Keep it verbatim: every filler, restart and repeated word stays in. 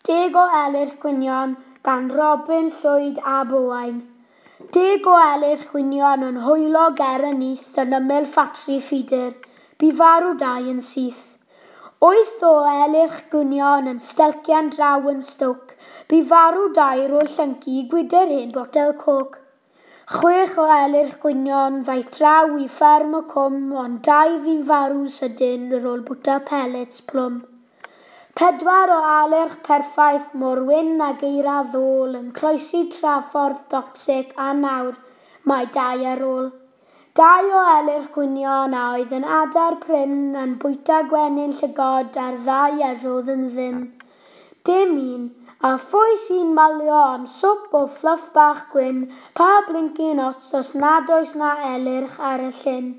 Deg o Elyrch Gwynion gan Robin Llwyd ab Owain. Deg o Elyrch Gwynion yn hwylo ger y nyth yn ymyl ffatri ffidr. Bu farw dau yn syth. Wyth o Elyrch Gwynion yn stelcian draw yn Stoke. Bu farw dau ar ôl llyncu gwydr hen botel coc. Chwech o Elyrch Gwynion ddaeth draw i fferm y cwm, ond dau fu'n farw'n sydyn ar ôl bwyta pellets plwm. Pedwar o Elyrch perffaith mor wyn ag eira ddôl yn croesi traffordd toxic a nawr mae dau ar ôl. Dau o Elyrch Gwynion a oedd yn adar prin yn bwyta gwenyn llygod a'r ddaear oedd yn ddim. Dim un, a phwy sy'n malio am swp o fluff bach gwyn, pa blincin ots os nad oes na elyrch ar y llyn.